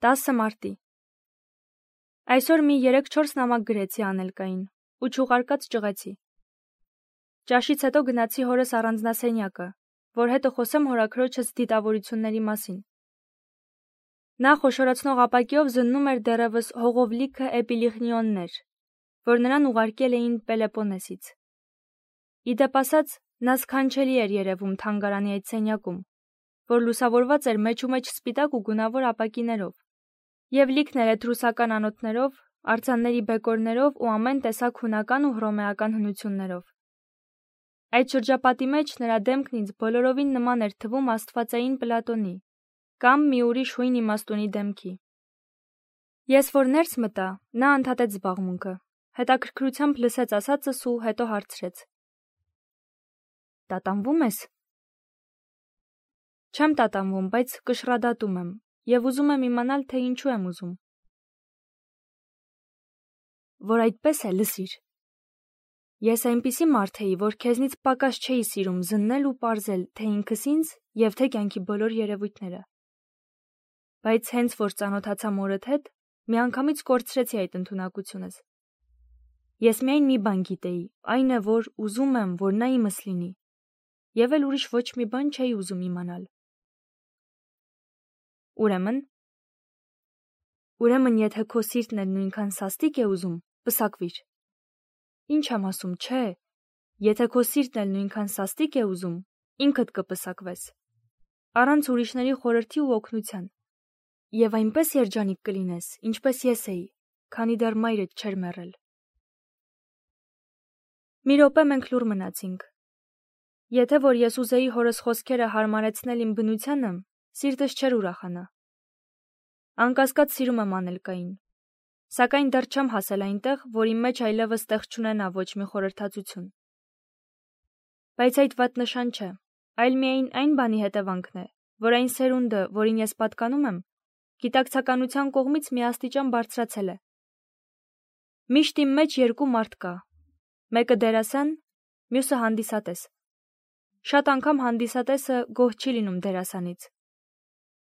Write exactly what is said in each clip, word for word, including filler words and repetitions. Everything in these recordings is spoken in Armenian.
տասը մարտի։ Այսօր մի երեք-չորս նամակ գրեցի Անելկային ու չուղարկած ճղեցի։ Ճաշից հետո գնացի հորս առանձնասենյակը, որ հետը խոսեմ հորաքրոջս դիտավորությունների մասին։ Նա խոշորացնող ապակիով զննում էր դեռևս հողով լիքը էպիլիխնիոններ, որ նրան ուղարկել էին Պելեպոնեսից։ Իդեպ ասած, նա սքանչելի էր երևում թանգարանի այդ սենյակում, որ լուսավորված էր մեջումեջ սպիտակ ու գունավոր ապակիներով, և լիքն էր էտրուսական անոթներով, արձանների բեկորներով ու ամեն տեսակ հունական ու հռոմեական հնություններով։ Այդ շրջապատի մեջ նրա դեմքն ինձ բոլորովին նման էր թվում աստվածային Պլատոնի կամ մի ուրիշ հույն իմաստունի դեմքի։ Ես որ ներս մտա, նա ընդհատեց զբաղմունքը, հետաքրքրությամբ լսեց ասածս ու հետո հարցրեց. «Տատանվում ես»։ Չեմ տատանվում, բայց կշռադատում եմ և ուզում եմ իմանալ, թե ինչու եմ ուզում։ Որ այդպես է, լսիր։ Ես այնպիսի մարդ էի, որ քեզնից պակաս չէի սիրում զննել ու պարզել, թե ինքս ինձ և թե կյանքի բոլոր երևույթները։ Բայց հենց որ ծանոթացա մորդ հետ, միանգամից կորցրեցի այդ ընդունակությունս։ Ես միայն մի բան գիտեի, այն է, որ ուզում եմ, որ նա իմս լինի, և էլ ուրիշ ոչ մի բան չէի ուզում իմանալ։ Ուրեմն, ուրեմն եթե քո սիրտն էլ նույնքան սաստիկ է ուզում, պսակվիր։ Ինչ եմ ասում, չէ, եթե քո սիրտն էլ նույնքան սաստիկ է ուզում, ինքդ կպսակվես, առանց ուրիշների խորհրդի ու օգնության, և այնպես երջանիկ կլինես, ինչպես ես էի, քանի դեռ մայրդ չէր մեռել։ Մի րոպե մենք լուռ մնացինք։ Եթե որ ես ուզեի հորս խոսքերը հարմարեցնել իմ բնությանը, սիրտս չէր ուրախանա։ Անկասկած սիրում եմ Անելկային, սակայն դեռ չեմ հասել այնտեղ, որ իմ մեջ այլևս տեղ չունենա ոչ մի խորհրդածություն։ Բայց այդ վատ նշան չէ, այլ միայն այն բանի հետևանքն է, որ այն սերունդը, որին ես պատկանում եմ, գիտակցականության կողմից միաստիճան բարձրացել է։ Միշտ իմ մեջ երկու մարդ կա, մեկը դերասան, մյուսը հանդիսատես։ Շատ անգամ հանդիսատեսը գոհ չի լինում դերասանից,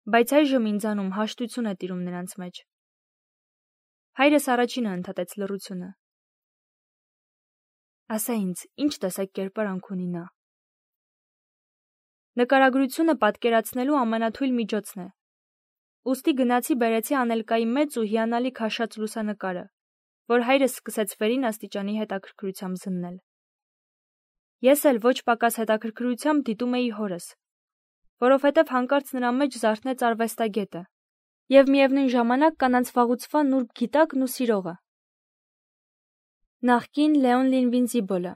բայց այժմ ինձանում հաշտություն է տիրում նրանց մեջ։ Հայրս առաջինը ընդհատեց լռությունը։ Ասա ինձ, ինչ տեսակ կերպարանք ունի նա։ Նկարագրությունը պատկերացնելու ամենաթույլ միջոցն է։ Ուստի գնացի բերեցի Անելկայի մեծ ու հիանալի քաշած լուսանկարը, որ հայրս սկսեց վերին աստիճանի հետաքրքրությամբ զննել։ Ես էլ ոչ պակաս հետաքրքրությամբ դիտում էի հորս, որովհետև հանկարծ նրա մեջ զարթնեց արվեստագետը և միևնույն ժամանակ կանանց վաղուցվա նուրբ գիտակն ու սիրողը։ Նախկին Լեոն Լինվինզիբոլը։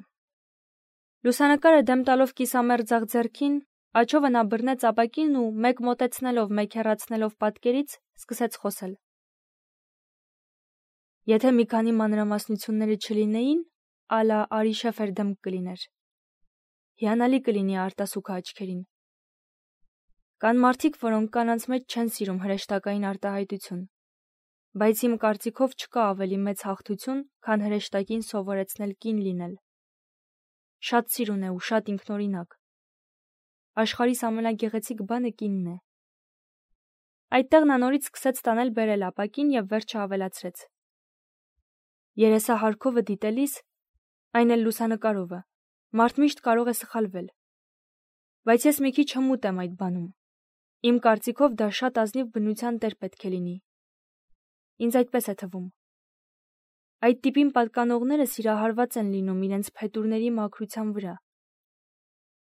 Լուսանկարը դեմ տալով կիսամերձ ձեռքին, աջովը նա բռնեց ապակին ու մեկ մոտեցնելով, մեկ հեռացնելով պատկերից, սկսեց խոսել։ Եթե մի քանի մանրամասնությունները չլինեին, ալա Արի Շեֆեր դեմք կլիներ։ Հիանալի կլինի արտասուքը աչքերին։ Կան մարդիկ, որոնք կանանց մեջ չեն սիրում հրեշտակային արտահայտություն, բայց իմ կարծիքով չկա ավելի մեծ հաղթություն, քան հրեշտակին սովորեցնել կին լինել։ Շատ սիրուն է ու շատ ինքնօրինակ։ Աշխարհիս ամենագեղեցիկ բանը կինն է։ Այդտեղ նա նորից սկսեց տանել բերել ապակին և վերջը ավելացրեց. Երեսահարքովը դիտելիս, այն էլ լուսանկարովը, մարդ միշտ կարող է սխալվել։ Բայց ես մի քիչ հմուտ եմ այդ բանում։ Իմ կարծիքով դա շատ ազնիվ բնության տեր պետք է լինի։ Ինձ այդպես է թվում։ Այդ տիպին պատկանողները սիրահարված են լինում իրենց փետուրների մաքրության վրա։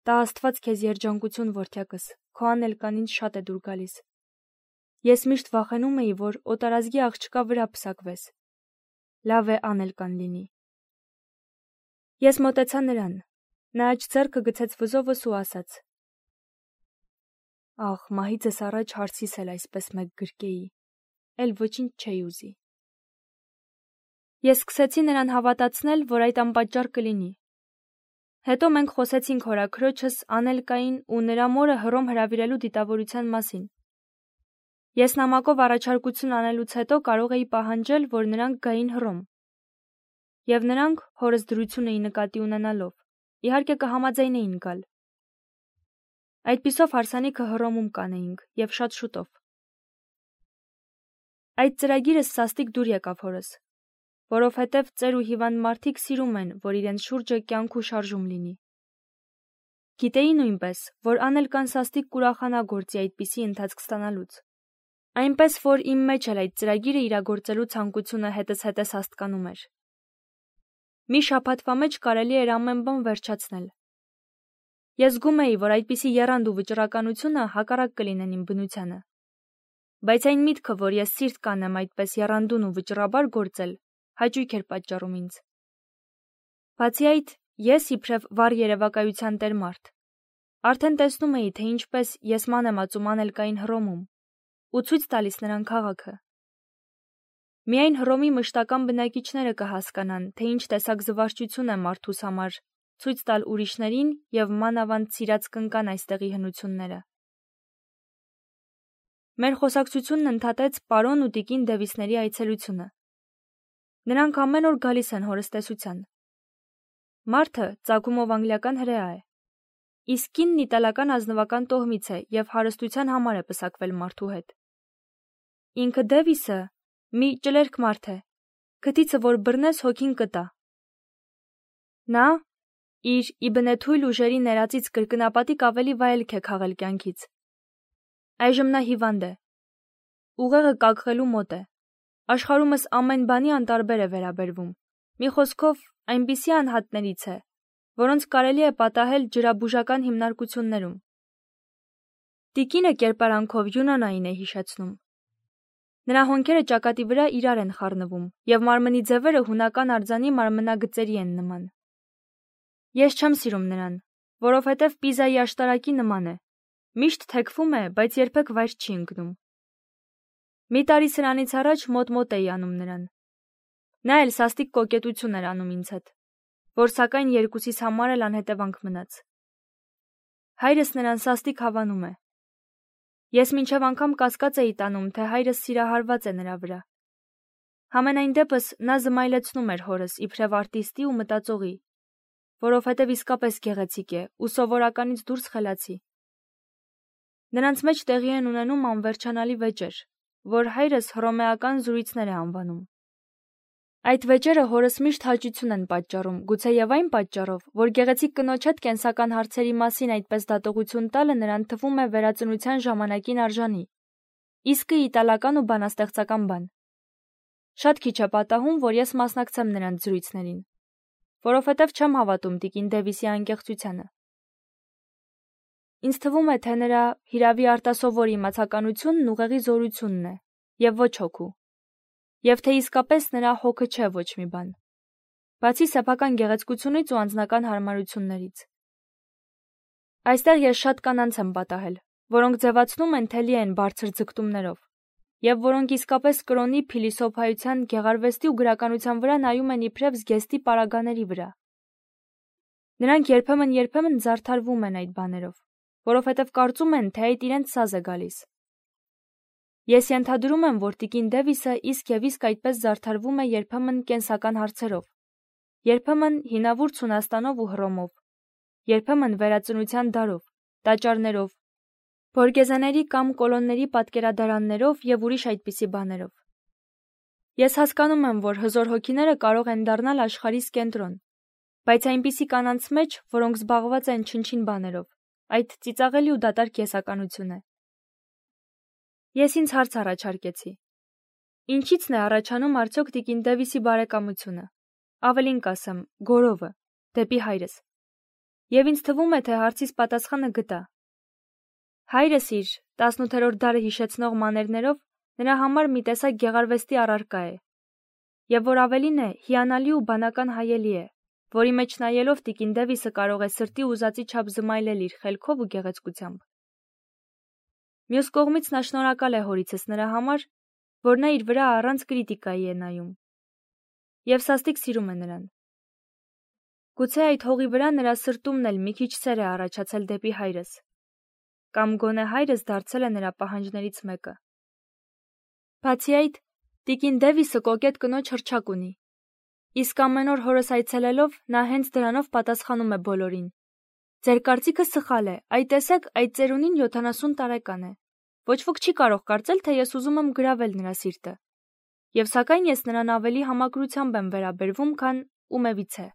Տա Աստված քեզ երջանկություն, որդյակս, քո Անելկան ինձ շատ է դուր գալիս։ Ես միշտ վախենում էի, որ օտարազգի աղջկա վրա պսակվես։ Լավ է Անելկան լինի։ Ես մոտեցա նրան, նա աջ ձեռքը գցեց վզովս ու ասաց. Ախ, մահիցս առաջ հարցիս էլ այսպես մեկ գրկեի, էլ ոչինչ չէի ուզի։ Ես սկսեցի նրան հավատացնել, որ այդ անպատճառ կլինի։ Հետո մենք խոսեցինք հորաքրոջս Անելկային ու նրա մորը Հռոմ հրավիրելու դիտավորության մասին։ Ես նամակով առաջարկություն անելուց հետո կարող էի պահանջել, որ նրանք գային Հռոմ։ Եվ նրանք, հորս դրությունն նկատի ունենալով, իհարկե կհամաձայնեին գալ։ Այդպիսով հարսանիքը Հռոմում կանեինք, և շատ շուտով։ Այդ ծրագիրը սաստիկ դուր եկավ հորս, որովհետև ծեր ու հիվանդ մարդիկ սիրում են, որ իրենց շուրջը կյանք ու շարժում լինի։ Գիտեի նույնպես, որ անել կան սաստիկ կուրախանա գործի այդպիսի ընթացք ստանալուց։ Այնպես, որ իմ մեջ էլ այդ ծրագիրը իրագործելու ցանկությունը հետս հետս հաստկանում էր։ Մի շաբաթվա մեջ կարելի էր ամեն բան վերջացնել։ Ես զգում էի, որ այդպիսի եռանդ ու վճռականությունը հակառակ կլինեն իմ բնությանը։ Բայց այն միտքը, որ ես սիրտ կանեմ այդպես եռանդուն ու վճռաբար գործել, հաճույք էր պատճառում ինձ։ Բացի այդ, ես իբրև վառ երևակայության տեր մարդ, արդեն տեսնում էի, թե ինչպես ես ման եմ ածում Անելկային Հռոմում ու ցույց տալիս նրան քաղաքը։ Միայն Հռոմի մշտական բնակիչները կհասկանան, թե ինչ տեսակ զվարճություն է մարդուս համար ցույց տալ ուրիշներին եւ մանավանդ սիրած կնկան այստեղի հնությունները։ Մեր խոսակցությունն ընդհատեց պարոն ու տիկին Դևիսների այցելությունը։ Նրանք ամեն օր գալիս են հորստեսության։ Մարդը ծագումով անգլիական հրեա է, իսկ կինն իտալական ազնվական տոհմից է եւ հարստության համար է պսակվել մարդու հետ։ Ինքը Դևիսը մի ճլերք մարդ է, քթիցը որ բռնես հոգին կտա։ Նա իր իբնեթույլ ուժերի ներածից կրկնապատիկ ավելի վայելք է քաղել կյանքից։ Այժմ նա հիվանդ է։ Ուղեղը կակղելու մոտ է։ Աշխարհումս ամեն բանի անտարբեր է վերաբերվում։ Մի խոսքով, այնպիսի անհատներից է, որոնց կարելի է պատահել ջրաբուժական հիմնարկություններում։ Տիկինը կերպարանքով յունանային է հիշեցնում։ Նրա հոնքերը ճակատի վրա իրար են խառնվում, եւ մարմնի ձևերը հունական արձանի մարմնագծերի են նման։ Ես չեմ սիրում նրան, որովհետև Պիզայի աշտարակի նման է։ Միշտ թեքվում է, բայց երբեք վայր չի ընկնում։ Մի տարի սրանից առաջ մոտ-մոտ էի անում նրան։ Նա էլ սաստիկ կոկետություն էր անում ինձ հետ, որ սակայն երկուսիս համար էլ անհետևանք մնաց։ Հայրս նրան սաստիկ հավանում է։ Ես մինչև անգամ կասկած էի տանում, թե հայրս սիրահարված է նրա վրա։ Համենայն դեպս նա զմայլեցնում էր հորս իբրև արտիստի ու մտածողի, որովհետև իսկապես գեղեցիկ է ու սովորականից դուրս խելացի։ Նրանց մեջ տեղի են ունենում անվերջանալի վեճեր, որ հայրս հռոմեական զրույցներ է անվանում։ Այդ վեճերը հորս միշտ հաճություն են պատճառում, գուցեև այն պատճառով, որ գեղեցիկ կնոջ հետ կենսական հարցերի մասին այդպես դատողություն տալը նրան թվում է վերածնության ժամանակին արժանի, իսկը իտալական ու բանաստեղծական բան։ Շատ քիչ է պատահում, որ ես մասնակցեմ նրանց զրույցներին, որովհետև չեմ հավատում տիկին Դևիսի անկեղծությանը։ Ինձ թվում է, թե նրա հիրավի արտասովոր իմացականությունն ուղեղի զորությունն է, եւ ոչ հոգու, եւ թե իսկապես նրա հոգը չէ ոչ մի բան, բացի սեփական գեղեցկությունից ու անձնական հարմարություններից։ Այստեղ ես շատ կանանց եմ պատահել, որոնք ձևացնում են, թե լի են բարձր ձգտումներով, եւ որոնք իսկապես կրոնի, փիլիսոփայության, գեղարվեստի ու գրականության վրա նայում են իբրև զգեստի պարագաների վրա։ Նրանք երբեմն-երբեմն զարդարվում են այդ բաներով, որովհետև կարծում են, թե այդ իրենց սազ է գալիս։ Ես ենթադրում եմ, որ տիկին Դևիսը իսկ եւ իսկ այդպես զարդարվում է երբեմն կենսական հարցերով, երբեմն հինավուրց Հունաստանով ու Հռոմով, երբեմն վերածնության դարով, տաճարներով, բորգեզաների կամ կոլոնների պատկերադարաններով եւ ուրիշ այդպիսի բաներով։ Ես հասկանում եմ, որ հզոր հոգիները կարող են դառնալ աշխարհիս կենտրոն, բայց այնպիսի կանանց մեջ, որոնք զբաղված են չնչին բաներով, այդ ծիծաղելի ու դատարկ կեսականություն է։ Ես ինձ հարց առաջարկեցի. ինչից՞ն է առաջանում արդյոք տիկին Դևիսի բարեկամությունը, ավելին կասեմ, գորովը, դեպի հայրս։ Եվ ինձ թվում է, թե հարցիս պատասխանը գտա։ Հայրս իր տասնութերորդ դարը հիշեցնող մաներներով նրա համար մի տեսակ գեղարվեստի առարկա է, եւ որ ավելին է, հիանալի ու բանական հայելի է, որի մեջ նայելով տիկին Դևիսը կարող է սրտի ուզածի չափ զմայլել իր խելքով ու գեղեցկությամբ։ Մյուս կողմից նա շնորհակալ է հորիցս նրա համար, որ նա իր վրա առանց կրիտիկայի է նայում, եւ սաստիկ սիրում է նրան։ Գուցե այդ հողի վրա նրա սրտումն էլ մի քիչ սեր է առաջացել դեպի հայրս, կամ գոնե հայրս դարձել է նրա պահանջներից մեկը։ Բացի այդ, տիկին Դևիսը կոկետ կնոջ հռչակ ունի, իսկ ամեն օր հորս այցելելով նա հենց դրանով պատասխանում է բոլորին. ձեր կարծիքը սխալ է, այ տեսեք, այդ ծերունին յոթանասուն տարեկան է։ ոչ ոք չի կարող կարծել, թե ես ուզում եմ գրավել նրա սիրտը, և սակայն ես նրան ավելի համակրությամբ եմ վերաբերվում, քան ումևից է։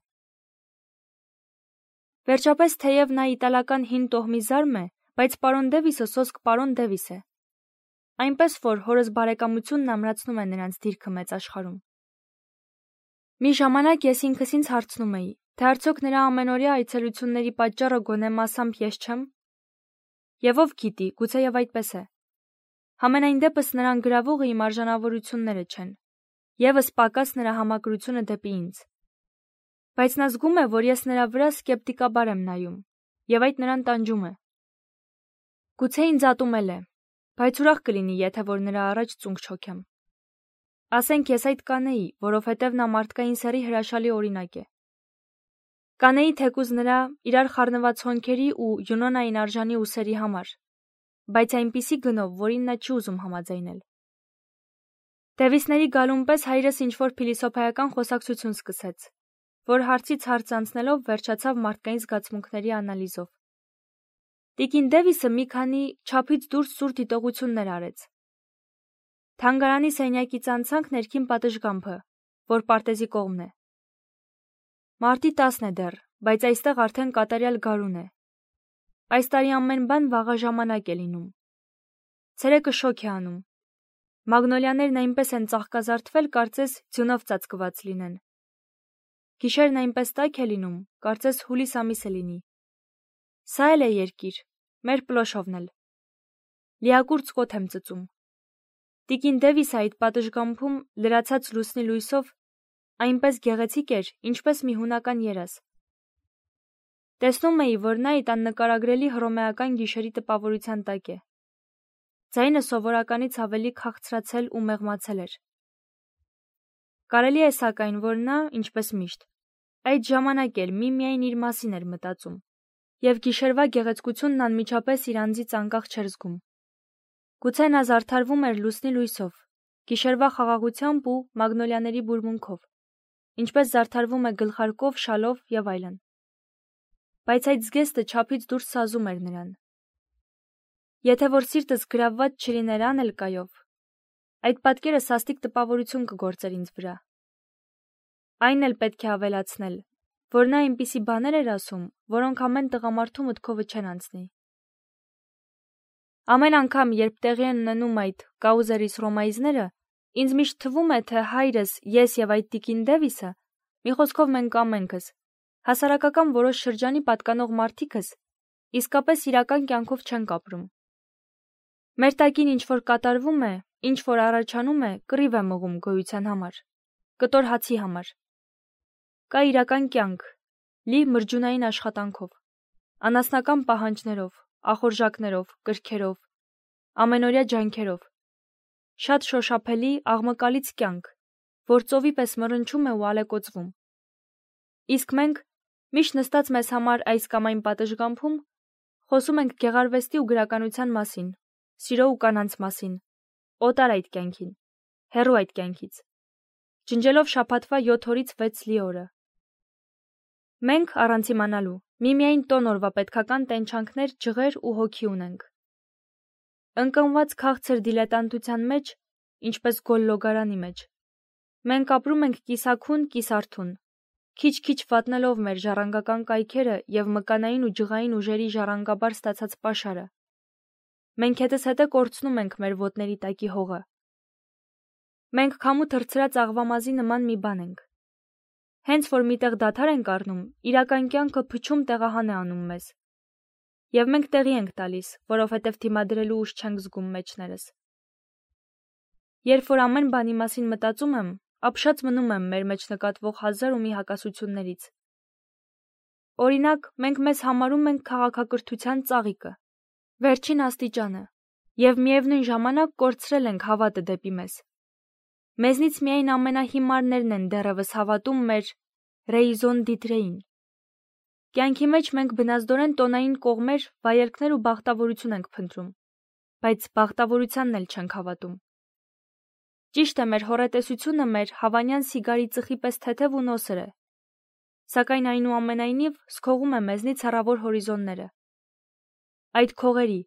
Վերջապես, թեև նա իտալական հին տոհմի զարմ է, բայց պարոն Դևիսը սոսկ պարոն Դևիս է։ Այնպես որ հորս բարեկամությունն ամրացնում է նրանց դիրքը մեծ աշխարհում։ Մի ժամանակ ես ինքս ինձ հարցնում էի, թե արդյոք նրա ամենօրյա այցելությունների պատճառը գոնե մասամբ ես չեմ։ Եվ ով գիտի, գուցեև այդպես է։ Համենայն դեպս նրան գրավողը իմ արժանավորությունները չեն, ևս պակաս նրա համակրությունը դեպի ինձ։ Բայց նա զգում է, որ ես նրա վրա սկեպտիկաբար եմ նայում, և այդ նրան տանջում է։ Գուցե ինձ ատումել է, բայց ուրախ կլինի, եթե որ նրա առաջ ծունկ չոքեմ։ Ասենք ես այդ կանեի, որովհետև նա մարդկային սեռի հրաշալի օրինակ է։ Կանեի թեկուզ նրա իրար խառնված հոնքերի ու Յունոնային արժանի ուսերի համար, բայց այնպիսի գնով, որին նա չի ուզում համաձայնել։ Դևիսների գալուն պես հայրս ինչ-որ փիլիսոփայական խոսակցություն սկսեց, որ հարցից հարց անցնելով վերջացավ մարդկային զգացմունքների անալիզով։ Տիկին Դևիսը մի քանի չափից դուրս սուր դիտողություններ արեց։ Թանգարանի սենյակից անցանք ներքին պատշգամբը, որ պարտեզի կողմն է։ Մարտի տասն է դեռ, բայց այստեղ արդեն կատարյալ գարուն է։ Այս տարի ամեն բան վաղ ժամանակ է լինում։ Ցերեկը շոգ է անում։ Մագնոլիաներն այնպես են ծաղկազարդվել, կարծես ձյունով ծածկված լինեն։ Գիշերն այնպես տաք է լինում, կարծես հուլիս ամիսը լինի։ Սա էլ է երկիր, մեր պլոշովն էլ։ Լիակուրծ կոթ եմ ծծում։ Տիկին Դևիսը այդ պատշգամբում լրացած լուսնի լույսով այնպես գեղեցիկ էր, ինչպես մի հունական երազ։ Տեսնում էի, որ նա այդ աննկարագրելի հռոմեական գիշերի տպավորության տակ է։ Ձայնը սովորականից ավելի քաղցրացել ու մեղմացել էր։ Կարելի է սակայն, որ նա, ինչպես միշտ, այդ ժամանակ էլ միմիայն իր մասին էր մտածում, և գիշերվա գեղեցկությունն անմիջապես իր անձից անկախ չէր զգում։ Գուցե նա զարդարվում էր լուսնի լույսով, գիշերվա խաղաղությամբ ու մագնոլիաների բուրմունքով, ինչպես զարդարվում է գլխարկով, շալով և այլն։ Բայց այդ զգեստը չափից դուրս սազում էր նրան։ Եթե որ սիրտս գրավված չլիներ անելկայով, այդ պատկերը սաստիկ տպավորություն կգործեր ինձ վրա։ Այն էլ պետք է ավելացնել, որ նա այնպիսի բաներ էր ասում, որոնք ամեն տղամարդու մտքովը չեն անցնի։ Ամեն անգամ, երբ տեղի են ունենում այդ կաուզերիս ռոմայիզները, ինձ միշտ թվում է, թե հայրս, ես և այդ տիկին Դևիսը, մի խոսքով մենք ամենքս, հասարակական որոշ շրջանի պատկանող մարդիկս, իսկապես իրական կյանքով չենք ապրում։ Մեր տակին ինչ-որ կատարվում է, ինչ-որ առաջանում է, կռիվ է մղում գոյության համար, կտոր հացի համար։ Կա իրական կյանք, լի մրջունային աշխատանքով, անասնական պահանջներով, ախորժակներով, կրքերով, ամենօրյա ջանքերով, շատ շոշափելի, աղմկալից կյանք, որ ծովի պես մռնչում է ու ալեկոծվում։ Իսկ մենք, միշտ նստած մեզ համար այս կամ այն պատշգամբում, խոսում ենք գեղարվեստի ու գրականության մասին, սիրո ու կանանց մասին, օտար այդ կյանքին, հեռու այդ կյանքից, ջնջելով շաբաթվա յոթ օրից վեց լի օրը։ Մենք, առանց իմանալու, միմիայն տոն օրվա պետքական տենչանքներ, ջղեր ու հոգի ունենք։ Ընկնված քաղցր դիլետանտության մեջ, ինչպես գոլ-լոգարանի մեջ, մենք ապրում ենք կիսաքուն, կիսարթուն, քիչ-քիչ վատնելով մեր ժառանգական կայքերը և մկանային ու ջղային ուժերի ժառանգաբար ստացած պաշարը։ Մենք հետզհետե կորցնում ենք մեր ոտների տակի հողը։ Մենք քամու թռցրած աղվամազի նման մի բան ենք։ Հենց որ միտեղ դադար ենք առնում, իրական կյանքը փչում տեղահան է անում մեզ։ Եվ մենք տեղի ենք տալիս, որովհետև դիմադրելու ուժ չենք զգում մեջներս։ Երբ որ ամեն բանի մասին մտածում եմ, ապշած մնում եմ մեր մեջ նկատվող հազար ու մի հակասություններից։ Օրինակ, մենք մեզ համարում ենք քաղաքակրթության ծաղիկը, վերջին աստիճանը, և միևնույն ժամանակ կորցրել ենք հավատը դեպի մեզ։ Մեզնից միայն ամենահիմարներն են դեռևս հավատում մեր ռեիզոն դիտրեին։ Կյանքի մեջ մենք բնազդորեն տոնային կողմեր, վայելքներ ու բախտավորություն ենք փնտրում, բայց բախտավորությանն էլ չենք հավատում։ Ճիշտ է, մեր հոռետեսությունը մեր հավանյան սիգարի ծխի պես թեթև ու նոսր է, սակայն այնուամենայնիվ զքողում է մեզնից հեռավոր հորիզոնները։ Այդ քողերի,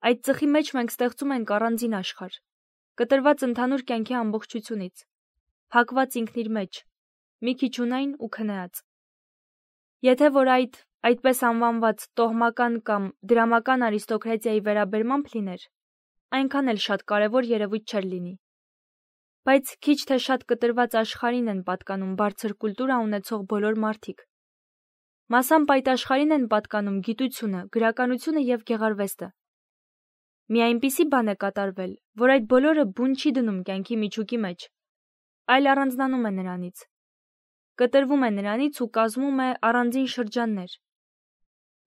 Այդ ծխի մեջ մենք ստեղծում ենք առանձին աշխարհ, կտրված ընդհանուր կյանքի ամբողջությունից, փակված ինքն իր մեջ, մի քիչ ունայն ու քնած։ Եթե որ այդ այդպես անվանված տոհմական կամ դրամական արիստոկրատիայի վերաբերմամբ լիներ, այնքան էլ շատ կարևոր երևույթ չէր լինի։ Բայց քիչ թե շատ կտրված աշխարհին են պատկանում բարձր կուլտուրա ունեցող բոլոր մարդիկ։ Մասամբ այդ աշխարհին են պատկանում գիտությունը, գրականությունը եւ գեղարվեստը։ Մի այնպիսի բան է կատարվել, որ այդ բոլորը բուն չի դնում կյանքի միջուկի մեջ, այլ առանձնանում է նրանից, կտրվում է նրանից ու կազմում է առանձին շրջաններ։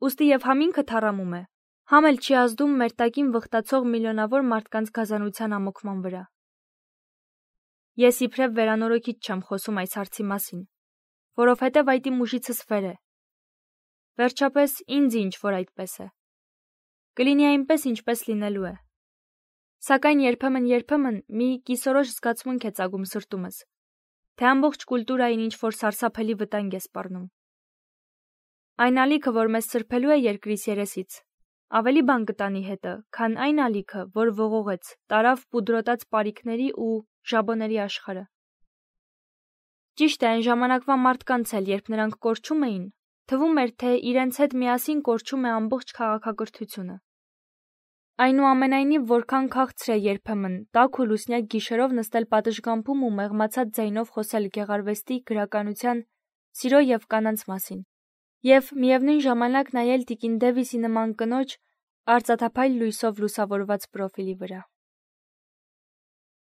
Ուստի եւ համինքը թառամում է, համ էլ չի ազդում մեր տակին վխտացող միլիոնավոր մարդկանց գազանության ամոքման վրա։ Ես իբրև վերանորոգիչ չեմ խոսում այս հարցի մասին, որովհետև այդ իմ ուժիցս վեր է։ Վերջապես ինձ ինչ որ այդպես է։ Կլինի այնպես, ինչպես լինելու է։ Սակայն երբեմն-երբեմն մի կիսորոշ զգացմունք է ծագում սրտումս, թե ամբողջ կուլտուրային ինչ որ սարսափելի վտանգ է սպառնում։ Այն ալիքը, որ մեզ սրբելու է երկրից երեսից, ավելի բան կտանի հետը, քան այն ալիքը, որ ողողեց, տարավ պուդրոտած պարիկների ու ժաբոների աշխարհը։ Ճիշտ է, այն ժամանակվա մարդկանց էլ, երբ նրանք կորչում էին, թվում էր, թե իրենց հետ միասին կորչում է ամբողջ քաղաքակրթությունը։ Այնուամենայնիվ, որքան քաղցր է երբեմն տաք ու լուսնյակ գիշերով նստել պատշգամբում ու մեղմացած ձայնով խոսել գեղարվեստի, գրականության, սիրո եւ կանանց մասին, եւ միևնույն ժամանակ նայել տիկին Դևիսի նման կնոջ արծաթափայլ լույսով լուսավորված պրոֆիլի վրա։